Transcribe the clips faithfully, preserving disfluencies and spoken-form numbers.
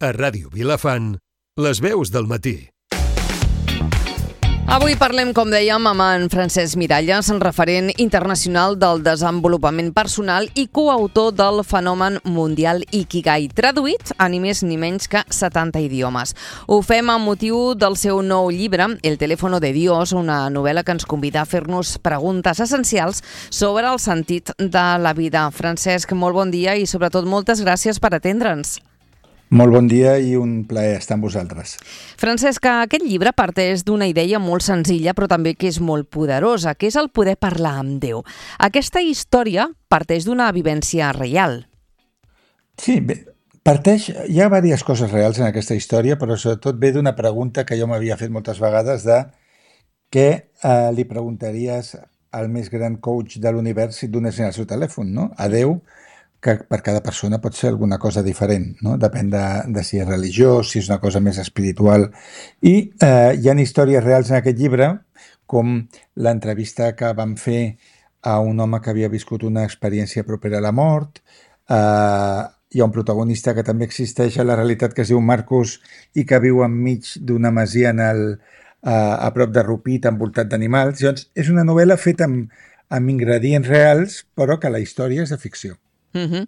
A Ràdio Vilafant, les veus del matí. Avui parlem, com dèiem, amb en Francesc Miralles, referent internacional del desenvolupament personal i coautor del fenomen mundial Ikigai, traduït a ni més ni menys que setanta idiomes. Ho fem amb motiu del seu nou llibre, El teléfono de Dios, una novel·la que ens convida a fer-nos preguntes essencials sobre el sentit de la vida. Francesc, molt bon dia i sobretot moltes gràcies per atendre'ns. Molt bon dia i un plaer estar amb vosaltres. Francesc, aquest llibre parteix d'una idea molt senzilla però també que és molt poderosa, que és el poder parlar amb Déu. Aquesta història parteix d'una vivència real. Sí, bé, parteix... Hi ha diverses coses reals en aquesta història, però sobretot ve d'una pregunta que jo m'havia fet moltes vegades de què eh, li preguntaries al més gran coach de l'univers si et donessin el seu telèfon, no? A Déu, que per cada persona pot ser alguna cosa diferent, no? Depèn de, de si és religiós, si és una cosa més espiritual. I eh, hi ha històries reals en aquest llibre, com l'entrevista que vam fer a un home que havia viscut una experiència propera a la mort. Eh, hi ha un protagonista que també existeix a la realitat que es diu Marcus i que viu enmig d'una masia en el, eh, a prop de Rupit, envoltat d'animals. Llavors, és una novel·la feta amb, amb ingredients reals, però que la història és de ficció. Uh-huh.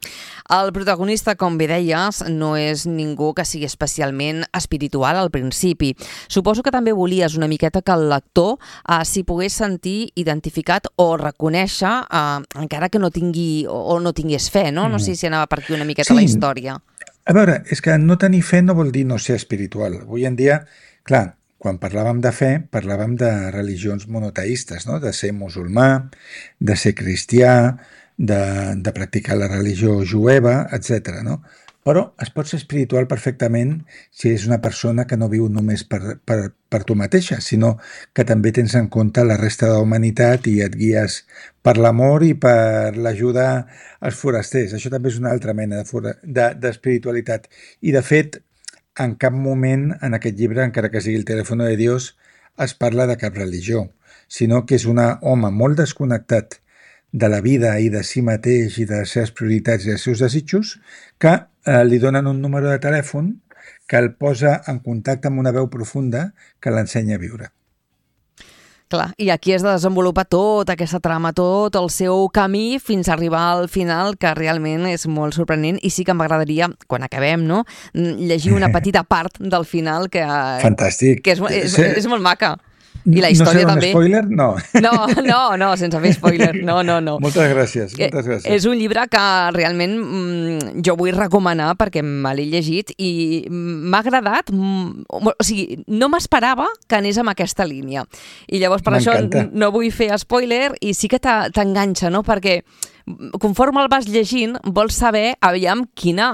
El protagonista, com bé deies, no és ningú que sigui especialment espiritual al principi. Suposo que també volies una miqueta que el lector eh, s'hi pogués sentir identificat o reconèixer, eh, encara que no tingui o, o no tingués fe, no? No sé si anava per aquí una miqueta sí. La història. A veure, és que no tenir fe no vol dir no ser espiritual. Avui en dia, clar, quan parlàvem de fe, parlàvem de religions monoteistes, no? De ser musulmà, de ser cristià, De, de practicar la religió jueva, etcètera. No? Però es pot ser espiritual perfectament si és una persona que no viu només per, per, per tu mateixa, sinó que també tens en compte la resta de la humanitat i et guies per l'amor i per l'ajuda als forasters. Això també és una altra mena d'espiritualitat. De, de, I, de fet, en cap moment en aquest llibre, encara que sigui el telèfon de Dios, es parla de cap religió, sinó que és un home molt desconnectat de la vida i de si mateix i de les seves prioritats i els seus desitjos, que eh, li donen un número de telèfon que el posa en contacte amb una veu profunda que l'ensenya a viure. Clar, i aquí es desenvolupa tota aquesta trama, tot el seu camí fins a arribar al final, que realment és molt sorprenent, i sí que m'agradaria, quan acabem, no, llegir una petita part del final que, Fantàstic. que és, és, és, és molt maca. I la història no sé també. Spoiler? No. No, no, no, sense fer spoiler. No, no, no. Moltes gràcies, moltes gràcies. És un llibre que realment mm, jo vull recomanar perquè me l'he llegit i m'ha agradat, mm, o sigui, no m'esperava que anés amb aquesta línia. I llavors per això no vull fer spoiler i sí que t'enganxa, no? Perquè conforme el vas llegint vols saber aviam quina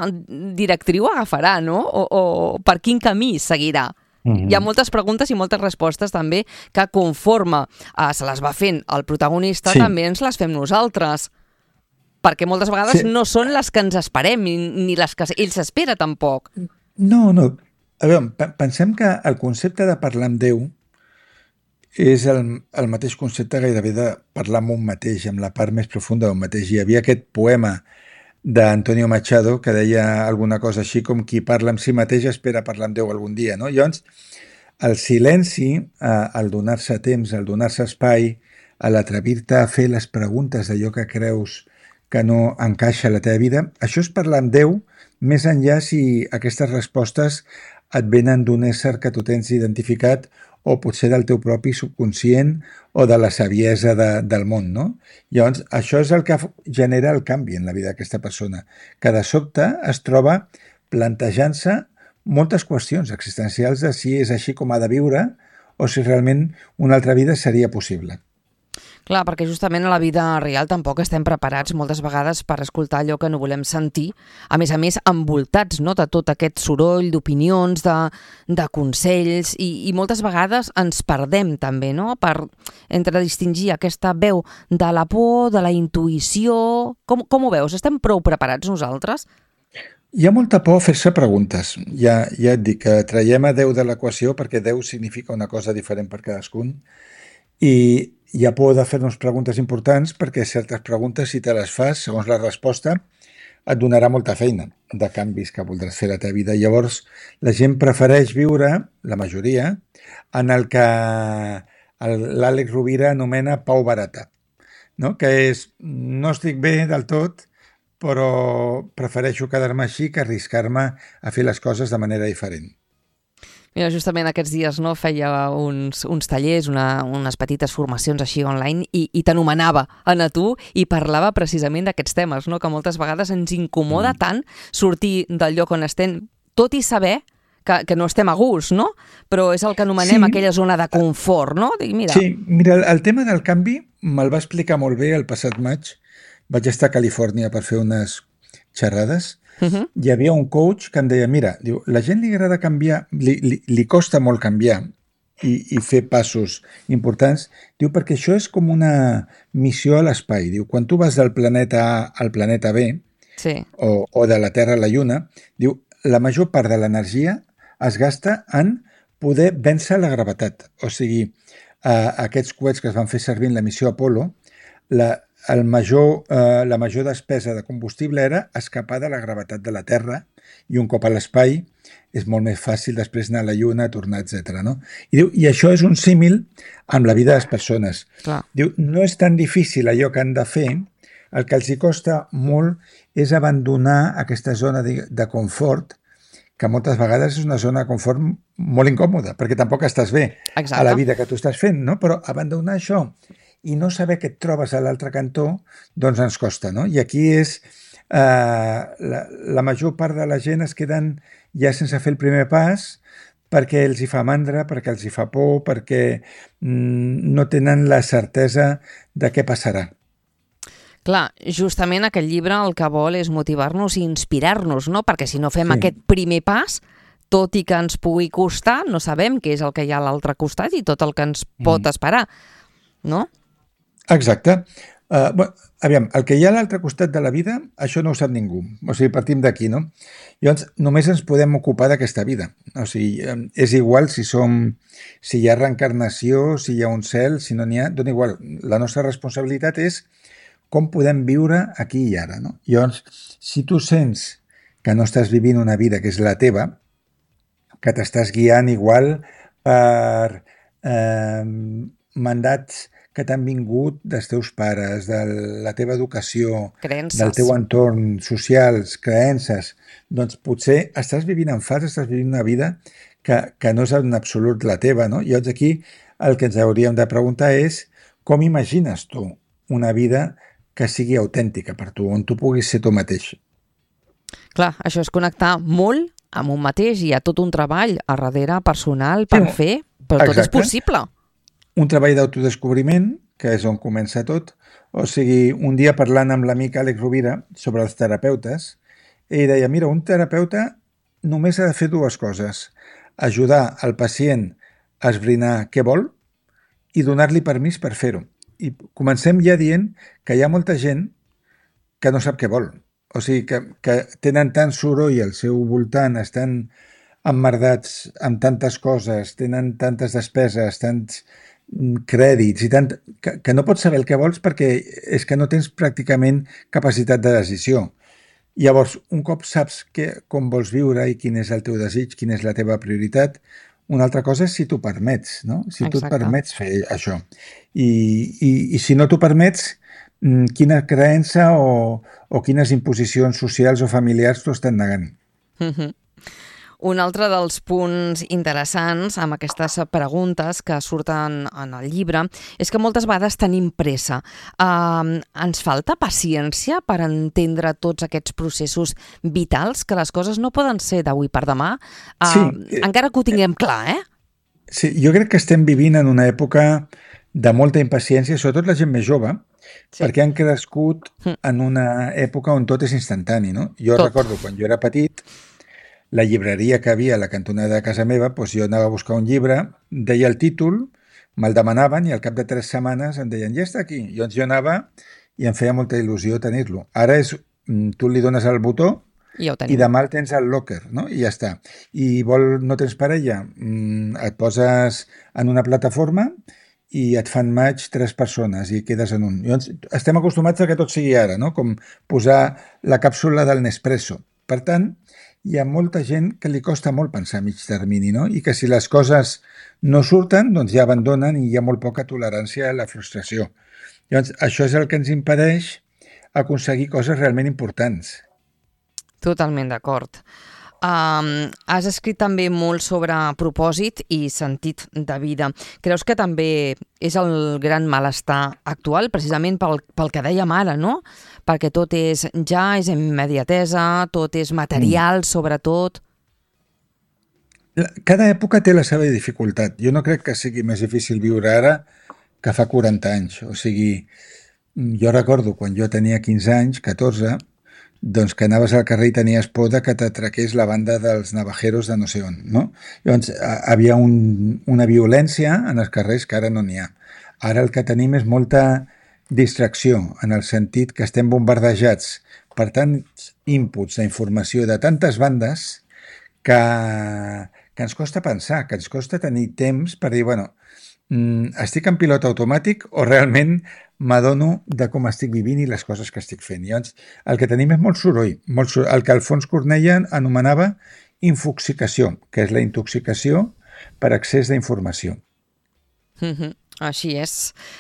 directriu agafarà, no? O, o per quin camí seguirà. Mm-hmm. Hi ha moltes preguntes i moltes respostes també que conforme eh, se les va fent el protagonista, sí. També ens les fem nosaltres, perquè moltes vegades sí. No són les que ens esperem ni les que ell s'espera tampoc. No, no. A veure, pensem que el concepte de parlar amb Déu és el, el mateix concepte gairebé de parlar amb un mateix, amb la part més profunda d'un mateix. Hi havia aquest poema d'Antonio Machado, que deia alguna cosa així com qui parla amb si mateix espera parlar amb Déu algun dia, no? Llavors, el silenci, eh, el donar-se temps, el donar-se espai, l'atrevir-te a fer les preguntes d'allò que creus que no encaixa a la teva vida, això és parlar amb Déu, més enllà si aquestes respostes et venen d'un ésser que tu tens identificat o potser del teu propi subconscient o de la saviesa de, del món, no? Llavors, això és el que genera el canvi en la vida d'aquesta persona, que de sobte es troba plantejant-se moltes qüestions existencials de si és així com ha de viure o si realment una altra vida seria possible. Clar, perquè justament a la vida real tampoc estem preparats moltes vegades per escoltar allò que no volem sentir, a més a més envoltats, no?, de tot aquest soroll d'opinions, de, de consells, i, i moltes vegades ens perdem també, no?, per entre distingir aquesta veu de la por, de la intuïció. Com, com ho veus? Estem prou preparats nosaltres? Hi ha molta por a fer-se preguntes. Ja, ja et dic que traiem a Déu de l'equació perquè Déu significa una cosa diferent per cadascun, i hi ha por de fer-nos preguntes importants perquè certes preguntes, si te les fas, segons la resposta, et donarà molta feina de canvis que voldràs fer a la teva vida. Llavors, la gent prefereix viure, la majoria, en el que l'Àlex Rovira anomena pau barata, no? Que és, no estic bé del tot, però prefereixo quedar-me així que arriscar-me a fer les coses de manera diferent. Mira, justament aquests dies no, feia uns, uns tallers, una, unes petites formacions així online i, i t'anomenava a tu i parlava precisament d'aquests temes, no? Que moltes vegades ens incomoda mm. tant sortir del lloc on estem, tot i saber que, que no estem a gust, no? Però és el que anomenem sí. aquella zona de confort, no? Dic, mira. Sí, mira, el, el tema del canvi me'l va explicar molt bé el passat maig. Vaig estar a Califòrnia per fer unes xerrades. Uh-huh. Hi havia un coach que em deia, mira, diu, la gent li agrada canviar, li, li, li costa molt canviar i, i fer passos importants, diu, perquè això és com una missió a l'espai. Diu, quan tu vas del planeta A al planeta B, sí. o, o de la Terra a la Lluna, diu, la major part de l'energia es gasta en poder vèncer la gravetat. O sigui, eh, aquests coets que es van fer servir en la missió Apollo, la El major, eh, la major despesa de combustible era escapar de la gravetat de la Terra i un cop a l'espai és molt més fàcil després anar a la Lluna, tornar, etcètera. No? I, diu, I això és un símil amb la vida de les persones. Clar. Diu, no és tan difícil allò que han de fer, el que els hi costa molt és abandonar aquesta zona de, de confort, que moltes vegades és una zona de confort molt incòmoda, perquè tampoc estàs bé Exacte. A la vida que tu estàs fent, no? Però abandonar això i no saber què et trobes a l'altre cantó, doncs ens costa, no? I aquí és, eh, la, la major part de la gent es queden ja sense fer el primer pas perquè els hi fa mandra, perquè els hi fa por, perquè mm, no tenen la certesa de què passarà. Clar, justament aquest llibre el que vol és motivar-nos i inspirar-nos, no? Perquè si no fem sí. aquest primer pas, tot i que ens pugui costar, no sabem què és el que hi ha a l'altre costat i tot el que ens pot mm. esperar, no? Exacte. Uh, bueno, aviam, el que hi ha a l'altre costat de la vida, això no ho sap ningú. O sigui, partim d'aquí, no? Llavors, només ens podem ocupar d'aquesta vida. O sigui, és igual si som, si hi ha reencarnació, si hi ha un cel, si no n'hi ha, dona igual. La nostra responsabilitat és com podem viure aquí i ara, no? Llavors, si tu sents que no estàs vivint una vida que és la teva, que t'estàs guiant igual per eh, mandats que t'han vingut dels teus pares, de la teva educació, creences. Del teu entorn, socials, creences, doncs potser estàs vivint en fals, estàs vivint una vida que, que no és en absolut la teva, no? I llavors aquí el que ens hauríem de preguntar és com imagines tu una vida que sigui autèntica per tu, on tu puguis ser tu mateix. Clar, això és connectar molt amb un mateix, hi ha tot un treball a darrere personal per sí. fer, però tot Exacte. És possible. Un treball d'autodescobriment, que és on comença tot. O sigui, un dia parlant amb l'amic Àlex Rovira sobre els terapeutes, ell deia, mira, un terapeuta només ha de fer dues coses. Ajudar el pacient a esbrinar què vol i donar-li permís per fer-ho. I comencem ja dient que hi ha molta gent que no sap què vol. O sigui, que, que tenen tant soroll al seu voltant, estan emmerdats amb tantes coses, tenen tantes despeses, tants crèdits i tant, que, que no pots saber el que vols perquè és que no tens pràcticament capacitat de decisió. Llavors, un cop saps que, com vols viure i quin és el teu desig, quina és la teva prioritat, una altra cosa és si t'ho permets, no? Si Exacte. Tu et permets fer això. I, i, i si no t'ho permets, quina creença o, o quines imposicions socials o familiars t'ho estan negant. Mm-hmm. Un altre dels punts interessants amb aquestes preguntes que surten en el llibre és que moltes vegades tenim pressa. Uh, ens falta paciència per entendre tots aquests processos vitals, que les coses no poden ser d'avui per demà, uh, sí. encara que ho tinguem clar, eh? Sí, jo crec que estem vivint en una època de molta impaciència, sobretot la gent més jove, sí. perquè han crescut en una època on tot és instantani, no? Jo tot. recordo quan jo era petit, la llibreria que havia a la cantonada de casa meva, doncs jo anava a buscar un llibre, deia el títol, me'l demanaven i al cap de tres setmanes em deien, ja està aquí. I llavors jo anava i em feia molta il·lusió tenir-lo. Ara és, tu li dones el botó i, i demà el tens al locker, no? I ja està. I vol, no tens parella, et poses en una plataforma i et fan match tres persones i quedes en un. Llavors, estem acostumats a que tot sigui ara, no? Com posar la càpsula del Nespresso. Per tant, hi ha molta gent que li costa molt pensar a mig termini, no? I que si les coses no surten, doncs ja abandonen i hi ha molt poca tolerància a la frustració. Llavors, això és el que ens impedeix aconseguir coses realment importants. Totalment d'acord. Um, has escrit també molt sobre propòsit i sentit de vida. Creus que també és el gran malestar actual, precisament pel, pel que dèiem ara, no? Perquè tot és ja, és immediatesa, tot és material, mm. sobretot. Cada època té la seva dificultat. Jo no crec que sigui més difícil viure ara que fa quaranta anys. O sigui, jo recordo quan jo tenia quinze anys, catorze, doncs que anaves al carrer i tenies por de que t'atraqués la banda dels navajeros de no sé on, no? Llavors, havia un, una violència en els carrers que ara no n'hi ha. Ara el que tenim és molta distracció, en el sentit que estem bombardejats per tants inputs d'informació de tantes bandes que, que ens costa pensar, que ens costa tenir temps per dir, bueno, estic en pilot automàtic o realment m'adono de com estic vivint i les coses que estic fent. Llavors, el que tenim és molt soroll, molt soroll, el que Alfons Cornella anomenava infoxicació, que és la intoxicació per excés d'informació. Mm-hmm. Així és.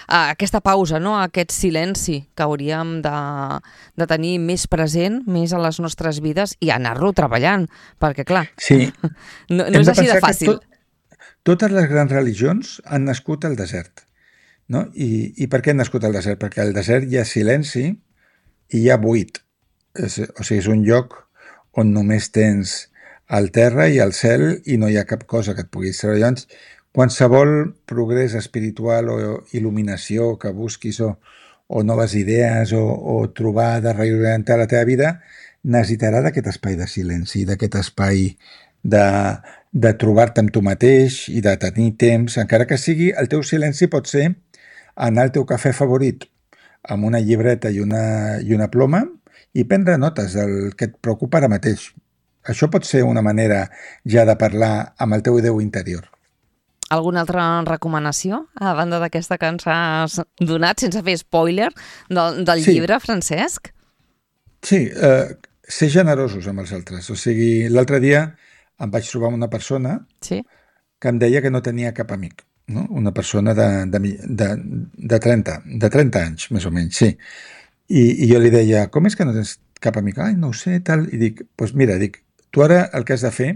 Ah, aquesta pausa, no? Aquest silenci que hauríem de, de tenir més present, més a les nostres vides i anar-lo treballant, perquè clar, sí. no, no és així de fàcil. Tot, totes les grans religions han nascut al desert. No? I, I per què han nascut al desert? Perquè al desert hi ha silenci i hi ha buit. És, o sigui, és un lloc on només tens el terra i el cel i no hi ha cap cosa que et puguis treure. Llavors, qualsevol progrés espiritual o il·luminació que busquis o, o noves idees o, o trobar de reorientar la teva vida necessitarà d'aquest espai de silenci, d'aquest espai de, de trobar-te amb tu mateix i de tenir temps, encara que sigui el teu silenci pot ser anar al teu cafè favorit amb una llibreta i una, i una ploma i prendre notes del que et preocupa ara mateix. Això pot ser una manera ja de parlar amb el teu Déu interior. Alguna altra recomanació, a banda d'aquesta que ens has donat, sense fer spoiler, del, del sí. llibre, Francesc? Sí, eh, ser generosos amb els altres. O sigui, l'altre dia em vaig trobar una persona sí. que em deia que no tenia cap amic. No? Una persona de, de, de, de, trenta, de trenta anys, més o menys, sí. I, I jo li deia, com és que no tens cap amic? Ai, no ho sé, tal. I dic, doncs pues mira, dic, tu ara el que has de fer,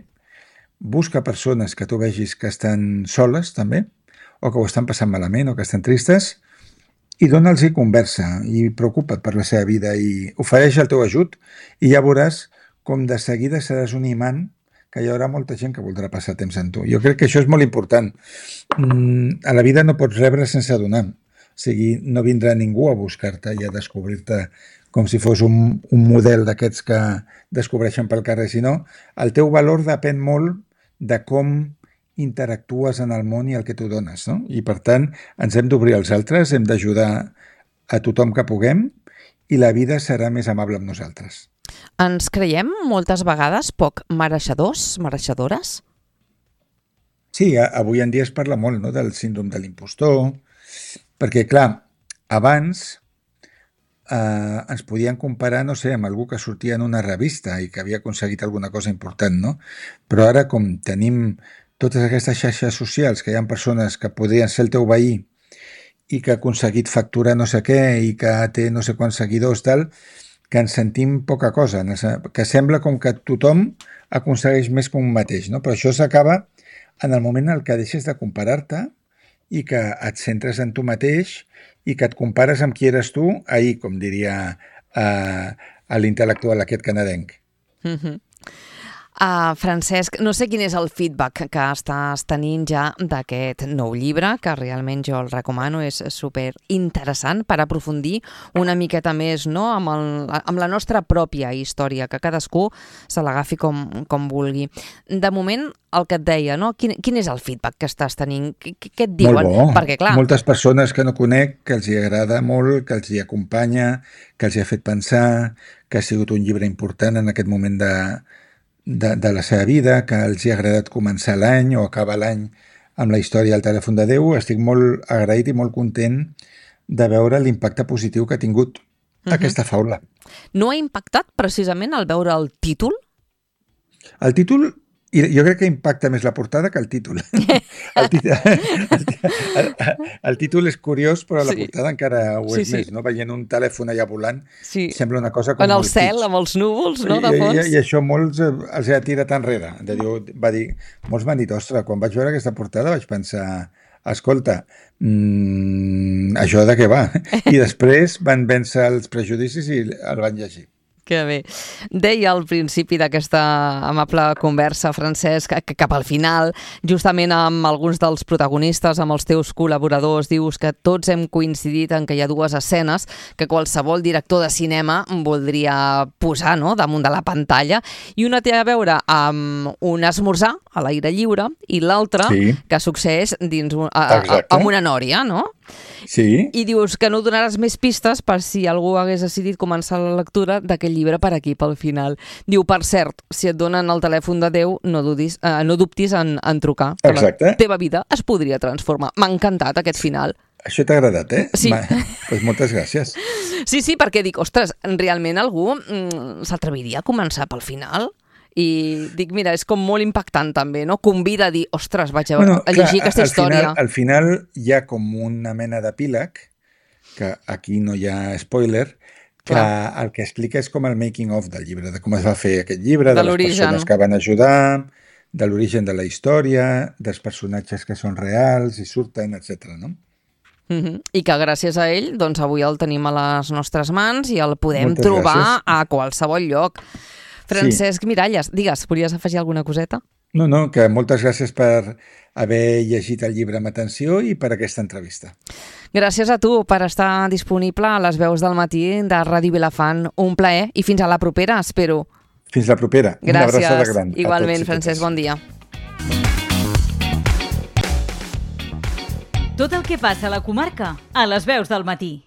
busca persones que tu vegis que estan soles, també, o que ho estan passant malament, o que estan tristes, i dona'ls-hi conversa, i preocupa't per la seva vida, i ofereix el teu ajut, i ja veuràs com de seguida seràs un imant que hi haurà molta gent que voldrà passar temps amb tu. Jo crec que això és molt important. Mm, a la vida no pots rebre sense donar. O sigui, no vindrà ningú a buscar-te i a descobrir-te com si fos un, un model d'aquests que descobreixen pel carrer, sinó el teu valor depèn molt de com interactues en el món i el que tu dones, no? I per tant, ens hem d'obrir als altres, hem d'ajudar a tothom que puguem i la vida serà més amable amb nosaltres. Ens creiem moltes vegades poc mereixedors, mereixedores? Sí, avui en dia es parla molt, no?, del síndrome de l'impostor, perquè, clar, abans eh, ens podien comparar, no sé, amb algú que sortia en una revista i que havia aconseguit alguna cosa important, no? Però ara, com tenim totes aquestes xarxes socials, que hi ha persones que podrien ser el teu veí i que ha aconseguit facturar no sé què i que té no sé quants seguidors, tal, que ens sentim poca cosa, que sembla com que tothom aconsegueix més que un mateix, no? Però això s'acaba en el moment en què deixes de comparar-te i que et centres en tu mateix i que et compares amb qui eres tu ahir, com diria eh, l'intel·lectual aquest canadenc. Mm-hmm. Uh, Francesc, no sé quin és el feedback que estàs tenint ja d'aquest nou llibre, que realment jo el recomano, és super interessant per aprofundir una miqueta més, no?, amb, el, amb la nostra pròpia història, que cadascú se l'agafi com, com vulgui. De moment, el que et deia, no?, quin, quin és el feedback que estàs tenint? Què, què et diuen? Molt bo. Perquè, clar... Moltes persones que no conec, que els hi agrada molt, que els hi acompanya, que els hi ha fet pensar, que ha sigut un llibre important en aquest moment de... De, de la seva vida, que els hi ha agradat començar l'any o acabar l'any amb la història del telèfon de Déu. Estic molt agraït i molt content de veure l'impacte positiu que ha tingut uh-huh. aquesta faula. No ha impactat precisament al veure el títol? El títol, jo crec que impacta més la portada que el títol. El, títol, el, el, el títol és curiós, però la sí. portada encara ho és sí, més, sí. no? Veient un telèfon allà volant, sí. sembla una cosa com en el molt cel, kitsch. Amb els núvols, no, de I, fons. I, i això molts els ha tirat enrere. De dir, va dir, molts m'han dit, ostres, quan vaig veure aquesta portada vaig pensar, escolta, mmm, això de què va? I després van vèncer els prejudicis i el van llegir. Que bé. Deia al principi d'aquesta amable conversa, Francesc, que cap al final, justament amb alguns dels protagonistes, amb els teus col·laboradors, dius que tots hem coincidit en que hi ha dues escenes que qualsevol director de cinema voldria posar, no?, damunt de la pantalla, i una té a veure amb un esmorzar a l'aire lliure i l'altra sí. que succeeix dins un, a, a, amb una nòria, no? Sí. I dius que no donaràs més pistes per si algú hagués decidit començar la lectura d'aquest llibre per aquí, pel final. Diu, per cert, si et donen el telèfon de Déu, no, dudis, eh, no dubtis en, en trucar. Exacte. La teva vida es podria transformar. M'ha encantat aquest final. Això t'ha agradat, eh? Sí. Doncs pues moltes gràcies. Sí, sí, perquè dic, ostres, realment algú mm, s'atreviria a començar pel final? I dic, mira, és com molt impactant també, no? Convida a dir, ostres, vaig a, bueno, a llegir clar, aquesta al història. Final, al final hi ha com una mena d'epíleg, que aquí no hi ha spoiler, que clar. El que explica és com el making of del llibre, de com es va fer aquest llibre, de, de les persones que van ajudar, de l'origen de la història, dels personatges que són reals i surten, etcètera, no? Uh-huh. I que gràcies a ell, doncs avui el tenim a les nostres mans i el podem Moltes trobar gràcies. A qualsevol lloc. Francesc sí. Miralles, digues, volies afegir alguna coseta? No, no, que moltes gràcies per haver llegit el llibre amb atenció i per aquesta entrevista. Gràcies a tu per estar disponible a les veus del matí de Ràdio Vilafant. Un plaer i fins a la propera, espero. Fins la propera. Gràcies. Una abraçada gran. Igualment, Francesc, bon dia. Tot el que passa a la comarca, a les veus del matí.